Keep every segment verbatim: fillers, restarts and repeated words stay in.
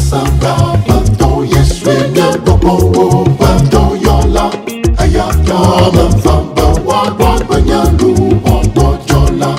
Asababatɔ Yesue nye gbɔgbɔwo ƒe dɔyɔla. Eya ta meva be woagbɔ agbe nye luʋɔ gbɔdzɔ la.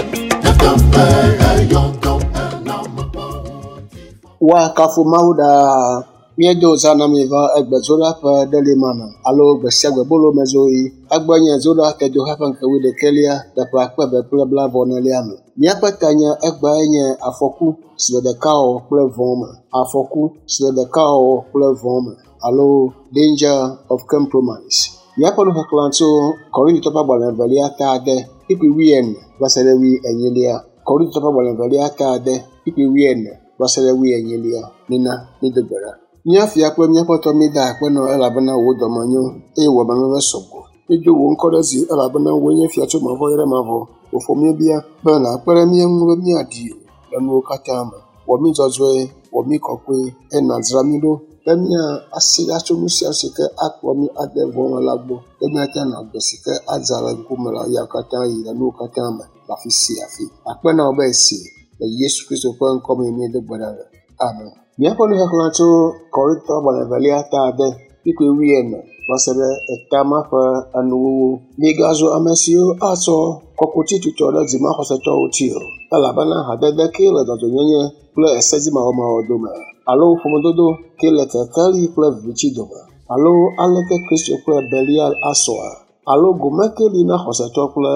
Nyateƒe eyɔ dɔm ena mekpɔ ŋutifafa. Woakafu Mawu ɖaa. Míedo zã na mi va egbe Zoɖa ƒe ɖelimana alo gbe sia gbe bolomezoɣi. Egbe nye Zoɖa tedoxe ƒe ŋkeke wuiɖekɛlia le ƒe akpe eve kple blaeve-vɔ-enelia me. Míaƒe tanya egbeae nye afɔku si le ɖekawɔwɔ kple vɔ̃ me. Afɔku si le ɖekawɔwɔ kple vɔ̃ me alo danger of compromise. Míaƒe nuxexlẽ tso Korintotɔwo ƒe agbalẽ evelia ta ade kpukpui wuiene va se ɖe wuienyilia. Korintotɔwo ƒe agbalẽ evelia ta ade kpukpui wuiene va se ɖe wuienyilia. Mina mído gbe ɖa. Mía fia kple míaƒe tɔ míeda akpe nɔ elabena wò dɔme nyo eye wò amenuveve sɔgbɔ. Míedo wò ŋkɔ ɖe dzi elabena wòe nye fia tso mavɔ yi ɖe mavɔ. Wòƒo míebia be nàkpe ɖe mía ŋu be míaɖi wò le nuwo katã me. Wɔ mí dzɔdzɔe, wɔ mí kɔkɔe eye nàdzra mí ɖo be míasi ɖa tso nu sia nu si ke akplɔ mí ade vɔ̃ me la gbɔ be míate ŋu anɔ agbe si ke adza le ŋkume le ya katã yi le nuwo katã me le afi sia afi. Akpe na wò be esi le Yesu Kristo ƒe ŋkɔ me míedo gbe ɖa le. Amen. Míaƒe nuxexlẽ tso Korintotɔwo ƒe agbalẽ evelia ta ade kpukpui wuiene va se ɖe eta ma ƒe enuwuwu. Migazu ame siwo atsɔ kɔkuti tutɔ ɖe dzimaxɔsetɔwo ŋuti o, elabena hadede kee le dzɔdzɔenyenye kple esedzimawɔmawɔ dome, alo ƒomedodo kee le kekeli kple viviti dome, alo aleke Kristo kple Belial asɔa, alo gome kee li na xɔsetɔ kple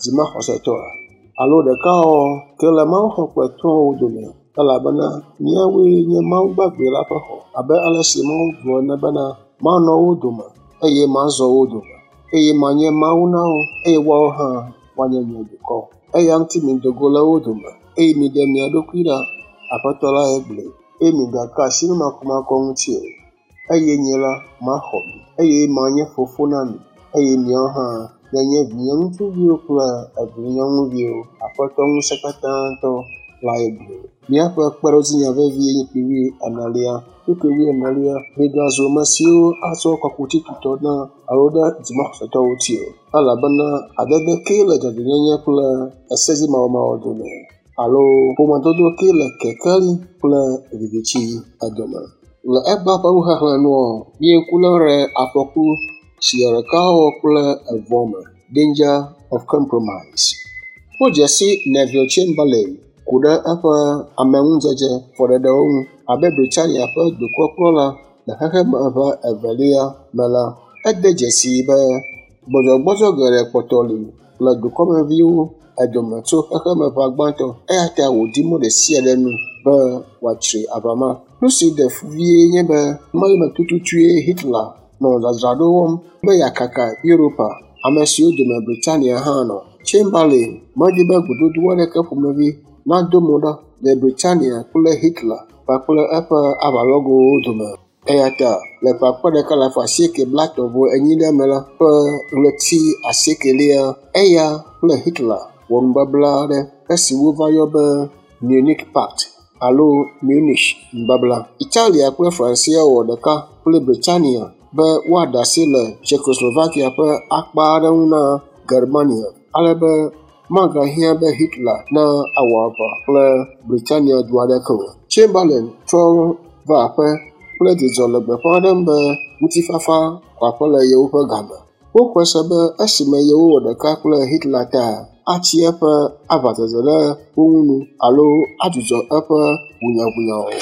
dzimaxɔsetɔa, alo ɖekawɔwɔ ke le mawuxɔ kple trɔ̃wo dome, elabena míawoe nye Mawu gbagbe la ƒe xɔ, abe ale si Mawu gblɔ ene bena, manɔ wo dome, eye mazɔ wo dome, eye manye Mawu na wo, eye woawo hã woanye nye dukɔ. Eya ŋuti mido go le wo dome, eye miɖe mia ɖokui ɖa, Aƒetɔ lae gblɔe, eye migaka asi nu makɔmakɔ ŋuti o, eye nye la maxɔ mi, eye manye fofo na mi, eye miawo hã mianye vinye ŋutsuviwo kple evinyɔnuviwo. Aƒetɔ ŋusẽkatãtɔ lae gblɔe. Míaƒe kpeɖodzinya vevie nye kpukpui wuienelia. Kpukpui wuienelia, migazu ame siwo atsɔ kɔkuti tutɔ na alo ɖe dzimaxɔsetɔwo ŋuti o, elabena hadede kee le dzɔdzɔenyenye kple esedzimawɔmawɔ dome, alo ƒomedodo kee le kekeli kple viviti dome. Le egbea ƒe nuxexlẽ nua, míeku lém ɖe afɔku si le ɖekawɔwɔ kple evɔ̃ me, danger of compromise. Wodze si Neville Chamberlain ku ɖe eƒe ameŋudzedze fɔɖeɖewo ŋu abe Britania ƒe dukɔkplɔla le xexemeʋa evelia me la, ede dzesii be gbɔdzɔgbɔdzɔ geɖe kpɔtɔ li le dukɔmeviwo dome tso xexemeʋa gbãtɔ eya ta wòdi mɔ ɖe sia ɖe nu be wòatsri aʋa ma. Nu si ɖe fu vie nye be ɣemaɣi tututue Hitler nɔ dzadzraɖo wɔm be yeakaka Europa, ame siwo dome Britania hã nɔ. Chamberlain medi be gododo aɖeke ƒomevi nado mo ɖa le Britania kple Hitler kpakple eƒe aʋalɔgowo dome. Eya ta le ƒe akpe ɖeka alafa asieke blaetɔ̃ vɔ enyilia me la ƒe ɣleti asiekelia, eya kple Hitler wɔ nubabla aɖe esi wova yɔ be Munich Pact alo Munich nubabla. Italia kple Francia wɔ ɖeka kple Britania be woaɖe asi le Czechoslovakia ƒe akpa aɖe ŋu na Germania ale be magahiã be Hitler na awɔ aʋa kple Britania du aɖeke o. Chamberlain trɔ va aƒe kple dzidzɔ le gbeƒã ɖem be ŋutifafa xɔ aƒe le yewoƒe game. Woxɔe se be esime yewowɔ ɖeka kple Hitler ta atsi eƒe aʋadzedze ɖe wo ŋu nu alo adzudzɔ eƒe ʋunyaʋunyawɔwɔ.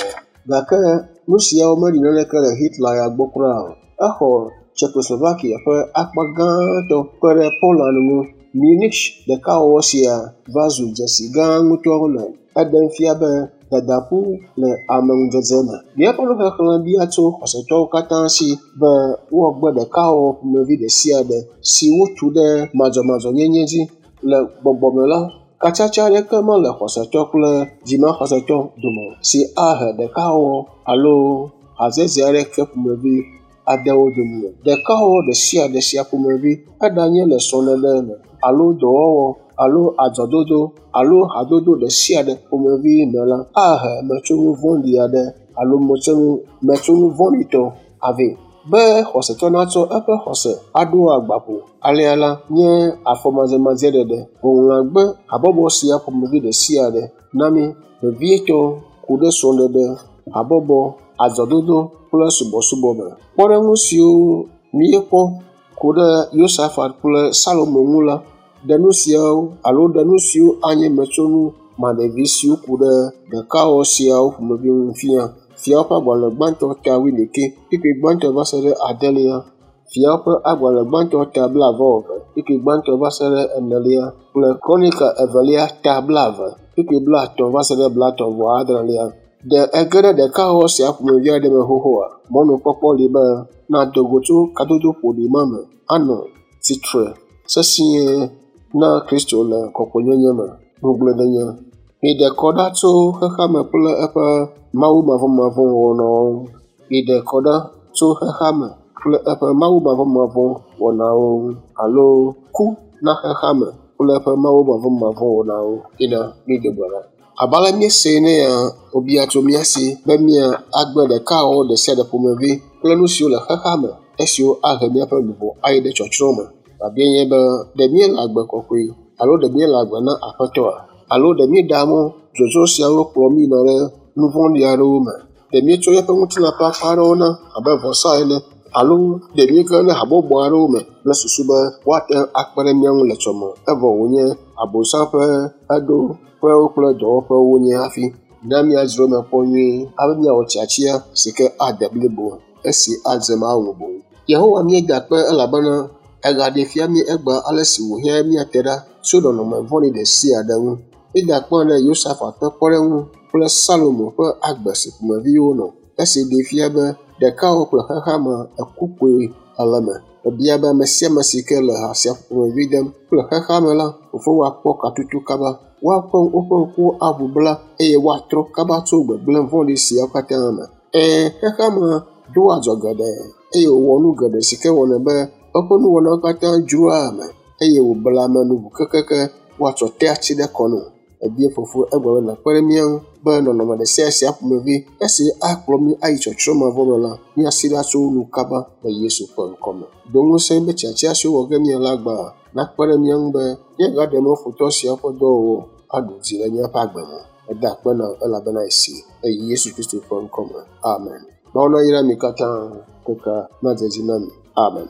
Gake nu siawo meɖi naneke le Hitler ya gbɔ kura o. Exɔ Czechoslovakia ƒe akpa gãtɔ kpe ɖe Poland ŋu. Munich ɖekawɔwɔ sia va zu dzesi gã ŋutɔ le eɖem fia be dadaƒu le ameŋudzedze me. Míaƒe nuxexlẽ bia tso xɔsetɔwo katã si be woagbe ɖekawɔwɔ ƒomevi ɖe sia ɖe si wotu ɖe madzɔmadzɔnyenye dzi. Le gbɔgbɔ me la, katsatsa aɖeke mele xɔsetɔ kple dzimaxɔsetɔ dome si ahe ɖekawɔwɔ alo hadzedze aɖeke ƒomevi ade wo dome o. Ɖekawɔwɔ ɖe sia ɖe sia ƒomevi eɖanye le srɔ̃ɖeɖe me alo dɔwɔwɔ alo adzɔdodo alo hadodo ɖe sia ɖe ƒomevi me la, ahe metsonu vɔ̃ɖi aɖe alo metsonu metsonu vɔ̃ɖitɔ avɛ. Be xɔsetɔ natsɔ eƒe xɔse aɖo agbaƒo alea la nye afɔmadzemadzɖeɖe. Ŋɔŋlɔa gbe habɔbɔ sia ƒomevi ɖe sia ɖe na mí vevietɔ ku ɖe srɔ̃ɖeɖe, habɔbɔ, azɔdodo kple subɔsubɔ me. Kpɔɖeŋu siwo míekpɔ ku ɖe Yosafat kple Salomo ŋu la ɖe nu siawo alo ɖe nu siwo anye metsonu maɖevi siwo ku ɖe ɖekawɔwɔ siawo ƒomevi ŋu fia. Fiawo ƒe agbalẽ gbãtɔ ta wuiɖekɛ, kpukpui gbãtɔ va se ɖe adelia. Fiawo ƒe agbalẽ gbãtɔ ta blaeve-vɔ-eve, kpukpui gbãtɔ va se ɖe enelia kple Kronika evelia ta blaeve, kpukpui blaetɔ̃ va se ɖe blaetɔ̃ vɔ adrelia. Ɖe ege ɖe ɖekawɔwɔ sia ƒomevi aɖe me xoxoa? Mɔnukpɔkpɔ li be nàdo go tso kadodo ƒoɖi ma me anɔ tsitre sesĩe na Kristo le kɔkɔenyenye me. Ŋugbledenye. Miɖe kɔ ɖa tso xexeame kple eƒe mawumavɔmavɔ̃ wɔnawo ŋu. Miɖe kɔ ɖa tso xexeame kple eƒe mawumavɔmavɔ̃ wɔnawo ŋu alo ku na xexeame kple eƒe mawumavɔmavɔ̃ wɔnawo. Ina mído gbe ɖa. Abe ale míesee ne ya wòbia tso mía si be mía agbe ɖekawɔwɔ ɖe sia ɖe ƒomevi kple nu siwo le xexeame esiwo ahe míaƒe luʋɔ ayi ɖe tsɔtsrɔ̃ me. Biabiae nye be ɖe míele agbe kɔkɔe alo ɖe míele agbe na Aƒetɔa? Alo ɖe míeɖea mɔ dzodzro siawo kplɔ mí yina ɖe nu vɔ̃ɖi aɖewo me? Ɖe míetsɔ míaƒe ŋutilã ƒe akpa aɖewo na abe vɔsa ene alo ɖe míege ɖe habɔbɔ aɖewo me kple susu be woate ŋu akpe ɖe mía ŋu le tsɔme evɔ wònye Abosam ƒe eɖoƒewo kple dɔwɔƒewo wonye hafi. Na míadzro eme kpɔ nyuie hafi míawɔ tiatia si ke ade blibo esi adze Mawu ŋu boŋ. Yehowa míeda akpe elabena egaɖee fia mí egbea ale si wòhiã míate ɖa tso nɔnɔme vɔ̃ɖi ɖe sia ɖe ŋu. Míeda akpe ɖe Yosafat ƒe kpɔɖeŋu kple Salomo ƒe agbe si ƒomevi wonɔ esi ɖee fia be ɖekawɔwɔ kple xexeame eku kpoe le eme. Ebia be ame sia ame si ke le ha sia ƒomevi dem kple xexeame la, fofo woakpɔ katutu kaba, woaƒe woƒe ŋkuwo aʋu bla eye woatrɔ kaba tso gbegblẽ vɔ̃ɖi siawo katã me. Ɛ̃, xexeame doa adzɔ geɖe eye wòwɔ nu geɖe si ke wɔnɛ be eƒe nuwɔnawo katã dzroa ame eye wòblea ame nu ʋu kekeke woatsɔ tea tsi ɖe kɔ nɛ. Ebia fofo egblɔ be nàkpe ɖe mía ŋu be nɔnɔme ɖe sia sia ƒomevi esi akplɔ mí ayi tsɔtsrɔ̃ mavɔ me la, míasi ɖa tso wo nu kaba le Yesu ƒe ŋkɔme. Do ŋusẽ be tiatia siwo wɔ ge míele egbea nakpe ɖe mía ŋu be míagaɖe mɔ futɔ siawo ƒe dɔwɔwɔ aɖu dzi le míaƒe agbe me. Eda akpe na wò elabena esi le Yesu Kristo ƒe ŋkɔme. Amen. Mawu nayra mi katã kaka nadze edzi na mi. Amen.